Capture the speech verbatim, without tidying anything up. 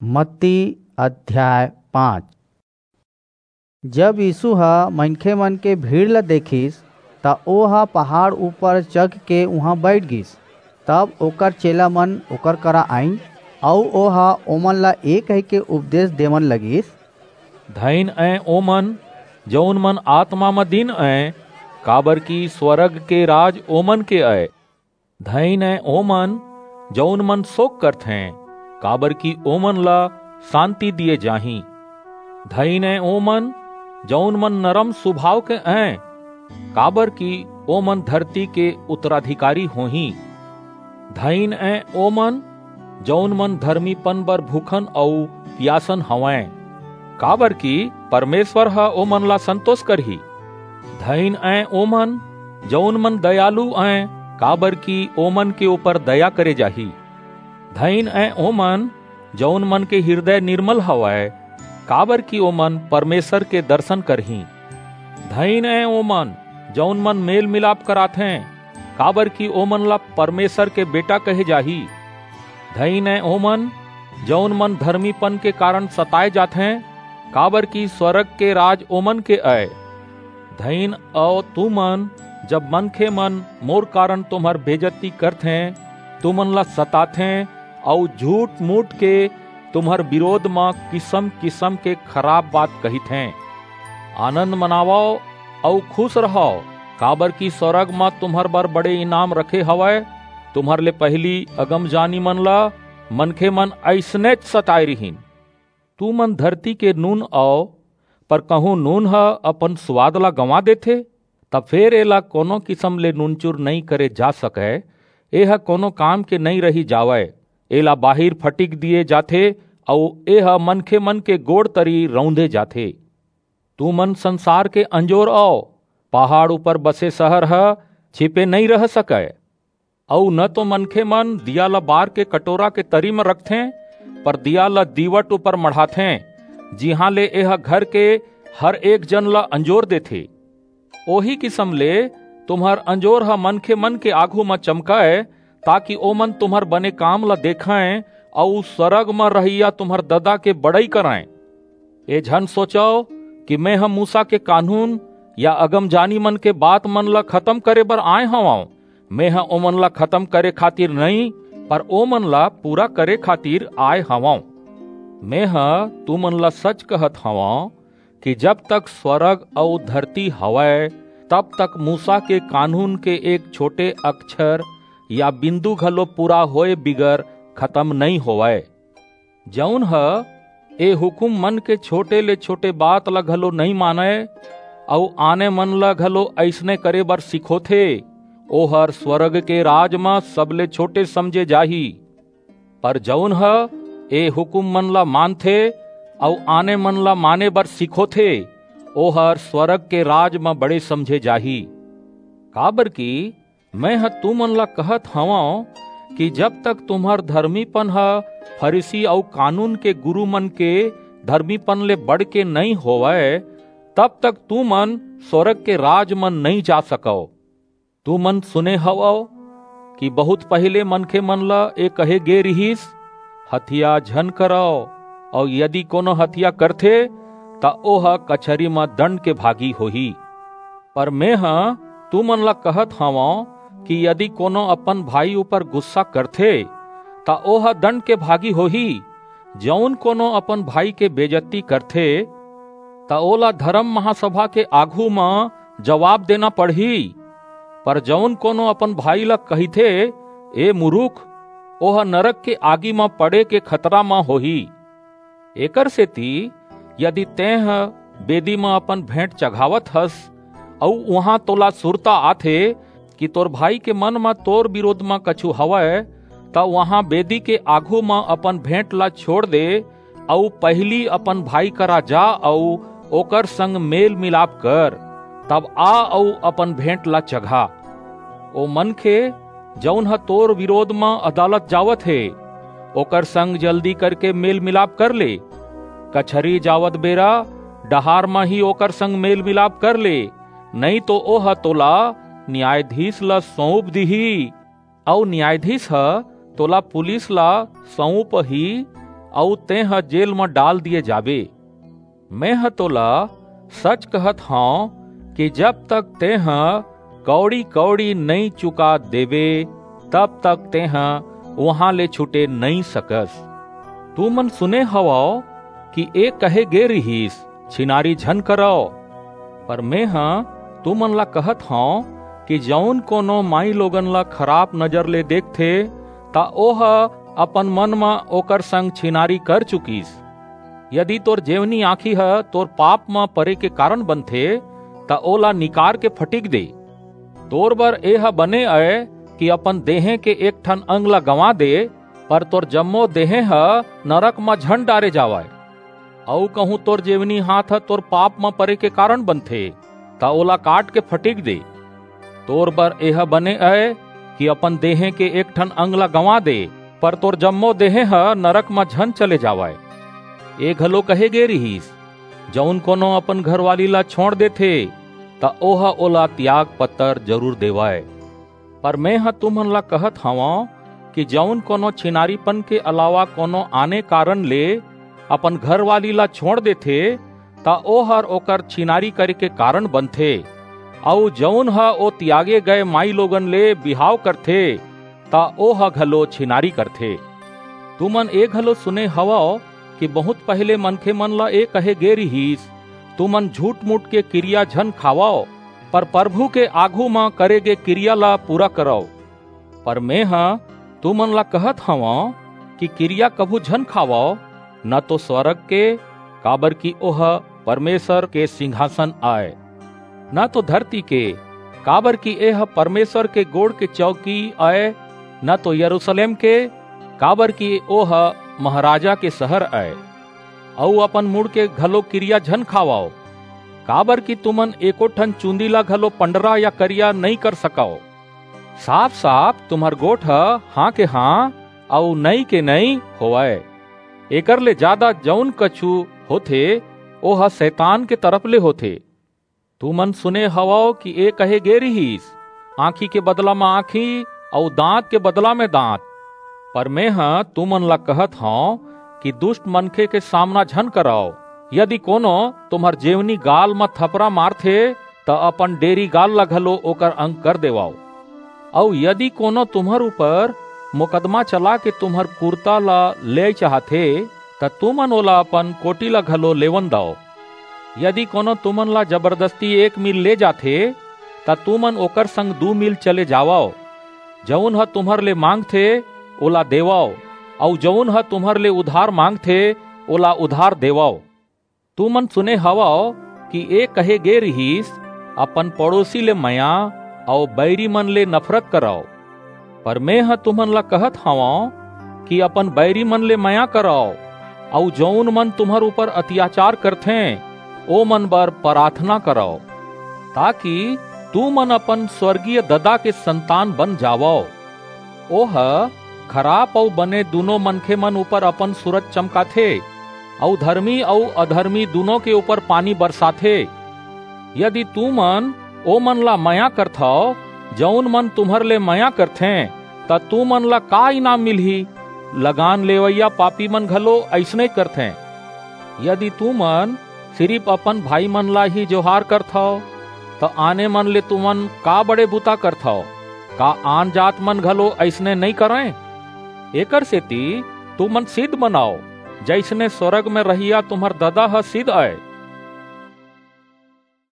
मत्ती अध्याय पाँच। जब यीसू ह मनखेमन के भीड़ ल देखिस, त ओह पहाड़ ऊपर चघ के उहां बईठ गीस। तब ओकर चेलामन ओकर करा आईन, अऊ ओह ओमन ला ए कहिके उपदेस देवन लगिस, धइन अंय ओमन, जऊन मन आतमा म दीन अंय, काबरकि स्वरग के राज ओमन के अय। धइन अंय ओमन, जऊन मन सोक करथें, काबरकि ओमन ला सांति दिये जाही। धइन अंय ओमन, जऊन मन नरम सुभाव के अंय, काबरकि ओमन धरती के उत्तराधिकारी होहीं। धइन अंय ओमन, जऊन मन धरमीपन बर भूखन अऊ पियासन हवंय, काबरकि परमेसर ह ओमन ला संतोस करही। धइन अंय ओमन, जऊन मन दयालु अंय, काबरकि ओमन के ऊपर दया करे जाही। धइन अंय ओमन, जऊन मन के हिरदय निरमल हवय, काबरकि ओमन परमेसर के दरसन करहीं। धइन अंय ओमन, जऊन मन मेल-मिलाप कराथें, काबरकि ओमन ला परमेसर के बेटा कहे जाही। धइन अंय ओमन, जऊन मन धरमीपन के कारन सताय जाथें, काबरकि स्वरग के राज ओमन के अय। धइन अंय तुमन, जब मनखेमन मोर कारन तुम्हर बेजती करथें, तुमन ला सताथें अऊ झूठ-मूठ के तुम्हर बिरोध म किसम-किसम के खराप बात कहिथें। आनंद मनावव अऊ खुस रहव, काबरकि स्वरग म तुम्हर बर बड़े इनाम रखे हवय। तुम्हर ले पहिली अगमजानीमन ला मनखेमन अइसनेच सताय रिहिन। तुमन धरती के नून अंव, पर कहूं नून ह अपन सुवाद ला गंवा देथे, त फेर एला कोनो किसम ले नूनचूर नइं करे जा सकय। एह कोनो काम के नइं रहि जावय। एला बाहिर फटिक दिये जाथे, अऊ एह मनखेमन के गोड़ तरी रौंदे जाथे। तुमन संसार के अंजोर अंव। पहाड़ ऊपर बसे सहर ह छिपे नइं रह सकय। अऊ न तो मनखेमन दीया ल बार के कटोरा के तरी म रखथें, पर दीया ल दीवट ऊपर मढ़ाथें, जिहां ले एह घर के हर एक जन ल अंजोर देथे। ओही किसम ले तुम्हर अंजोर ह मनखेमन के आघू म चमकय, ताकि ओमन तुम्हर बने काम ल देखंय अऊ स्वरग म रहइया तुम्हर ददा के बड़ई करंय। ए झन सोचव कि मेंह मूसा के कानून या अगमजानीमन के बातमन ल खतम करे बर आय हवंव। मेंह ओमन ला खतम करे खातिर नइं, पर ओमन ला पूरा करे खातिर आय हवंव। मेंह तुमन ला सच कहत हवंव कि जब तक स्वरग अऊ धरती हवय, तब तक मूसा के कानून के एक छोटे अक्षर या बिंदु घलो पूरा होय बिगर खतम नइं होवय। जऊन ह ए हुकूममन के छोटे ले छोटे बात ला घलो नइं मानय, अऊ आने मन ला घलो अइसने करे बर सिखोथे, ओहर स्वरग के राज म सबले छोटे समझे जाही। पर जऊन ह ए हुकूममन ला मानथे अऊ आने मन ला माने बर सिखोथे, ओहर स्वरग के राज म बड़े समझे जाही। काबरकि मेंह तुमन ला कहत हवंव कि जब तक तुम्हर धरमीपन ह फरीसी अऊ कानून के गुरूमन के धरमीपन ले बढ़के नइं होवय, तब तक तुमन स्वरग के राज म नइं जा सकव। तुमन सुने हवव कि बहुंत पहिली मनखेमन ला ए कहे गे रिहिस, "हतिया झन करव, अऊ यदि कोनो हतिया करथे, त ओह कचहरी म दंड के भागी होही।" पर मेंह तुमन ला कहत हवंव कि यदि कोनो अपन भाई ऊपर गुस्सा करथे, त ओह दंड के भागी होही। जऊन कोनो अपन भाई के बेजत्ती करथे, त ओला धरम महासभा के आघू म जबाब देना पड़ही। पर जऊन कोनो अपन भाई ला कहिथे, "ए मुरुख," ओह नरक के आगी म पड़े के खतरा म होही। एकरसेति यदि तेंह बेदी म अपन भेंट चघावत हस, अऊ उहां तोला सुरता आथे कि तोर भाई के मन म तोर बिरोध म कछू हवय, त उहां बेदी के आघू म अपन भेंट ला छोंड़ दे, अऊ पहिली अपन भाई करा जा अऊ ओकर संग मेल-मिलाप कर, तब आ अऊ अपन भेंट ला चघा। ओ मनखे, जऊन ह तोर बिरोध म अदालत जावत हे, ओकर संग जल्दी करके मेल-मिलाप कर ले। कचहरी जावत बेरा डहार म ही ओकर संग मेल-मिलाप कर ले, नइं तो ओह तोला नियायधीस ला सऊंप दिही, अऊ नियायधीस ह तोला पुलिस ला सऊंपही, अऊ तेंह जेल म डाल दिये जाबे। मेंह तोला सच कहत हंव कि जब तक तेंह कौड़ी-कौड़ी नइं चुका देबे, तब तक तेंह उहां ले छूटे नइं सकस। तुमन सुने हवव कि ए कहे गे रिहिस, "छिनारी झन करव।" पर मेंह तुमन ला कहत हंव कि जऊन कोनो माईलोगन ला खराप नजर ले देखथे, त ओह अपन मन म ओकर संग छिनारी कर चुकिस। यदि तोर जेवनी आंखी ह तोर पाप म परे के कारन बनथे, त ओला निकार के फटिक दे। तोर बर एह बने अय कि अपन देहें के एक ठन अंग ला गंवा दे, पर तोर जम्मो देहें ह नरक म झन डारे जावय। अऊ कहूं तोर जेवनी हांथ ह तोर पाप म परे के कारन बनथे, त ओला काट के फटिक दे। तोर बर एह बने अय कि अपन देहें के एक ठन अंग ला गंवा दे, पर तोर जम्मो देहें ह नरक म झन चले जावय। ए घलो कहे गे रिहिस, "जऊन कोनो अपन घरवाली ला छोंड़ देथे, त ओह ओला तियाग पत्तर जरूर देवय।" पर मेंह तुमन ला कहत हवंव कि जऊन कोनो छिनारीपन के अलावा कोनो आने कारन ले अपन घरवाली ला छोंड़ देथे, त ओहर ओकर छिनारी करे के कारन बनथे। अऊ जऊन ह ओ तियागे गय माईलोगन ले बिहाव करथे, त ओह घलो छिनारी करथे। तुमन ए घलो सुने हवव कि बहुंत पहिले मनखेमन ला ए कहे गे रिहिस, "तुमन झूठ-मूठ के किरिया झन खावव, पर परभू के आघू म करे गे किरिया ला पूरा करव।" पर मेंह तुमन ला कहत हवंव कि किरिया कभू झन खावव, न तो स्वरग के, काबरकि ओह परमेसर के सिंघासन अय, न तो धरती के, काबरकि एह परमेसर के गोड़ के चौकी अय, न तो यरूसलेम के, काबरकि ओह महाराजा के सहर अय। अऊ अपन मुड़ के घलो किरिया झन खावव, काबरकि तुमन एको ठन चूंदी ला घलो पंडरा या करिया नइं कर सकव। साफ-साफ तुम्हर गोठ ह हां के हां अऊ नइं के नइं होवय। एकर ले जादा जऊन कछू होथे, ओह सैतान के तरफ ले होथे। तुमन सुने हवव कि ए कहे गे रिहिस, "आंखी के बदला म आंखी अऊ दांत के बदला म दांत।" पर मेंह तुमन ला कहत हंव कि दुस्ट मनखे के सामना झन करव। यदि कोनो तुम्हर जेवनी गाल म थपरा मारथे, त अपन डेरी गाल ला घलो ओकर अंग कर देवव। अऊ यदि कोनो तुम्हर ऊपर मुकदमा चला के तुम्हर कुरता ला लेय चाहथे, त तुमन ओला अपन कोटी ला घलो लेवन दव। यदि कोनो तुमन ला जबरदस्ती एक मील ले जाथे, त तुमन ओकर संग दू मील चले जावव। जऊन ह तुम्हर ले मांगथे, ओला देवव, अऊ जऊन ह तुम्हर ले उधार मांगथे, ओला उधार देवव। तुमन सुने हवव कि ए कहे गे रिहिस, "अपन पड़ोसी ले मया अऊ बैरी मन ले नफरत करव।" पर मेंह तुमन ला कहत हवंव कि अपन बैरी मन ले मया करव, अऊ जऊन मन तुम्हर ऊपर अतियाचार करथें, ओ मन बर पराथना करव, ताकि तुमन अपन स्वरगीय ददा के संतान बन जावव। ओह खराप अऊ बने दूनों मनखेमन ऊपर अपन सूरज चमकाथे, अऊ धरमी अऊ अधरमी दूनों के ऊपर पानी बरसाथे। यदि तुमन ओमन ला मया करथव, जऊन मन तुम्हर ले मया करथें, त तुमन ला का इनाम मिलही? लगान लेवइया पापीमन घलो अइसने करथें। यदि तुमन सिरिप अपन भाईमन ला ही जोहार करथव, त आने मन ले तुमन का बड़े बुता करथव? का आन जातमन घलो अइसने नइं करंय? एकरसेति तुमन सिध बनव, जइसने स्वरग म रहइया तुम्हर ददा ह सिध अय।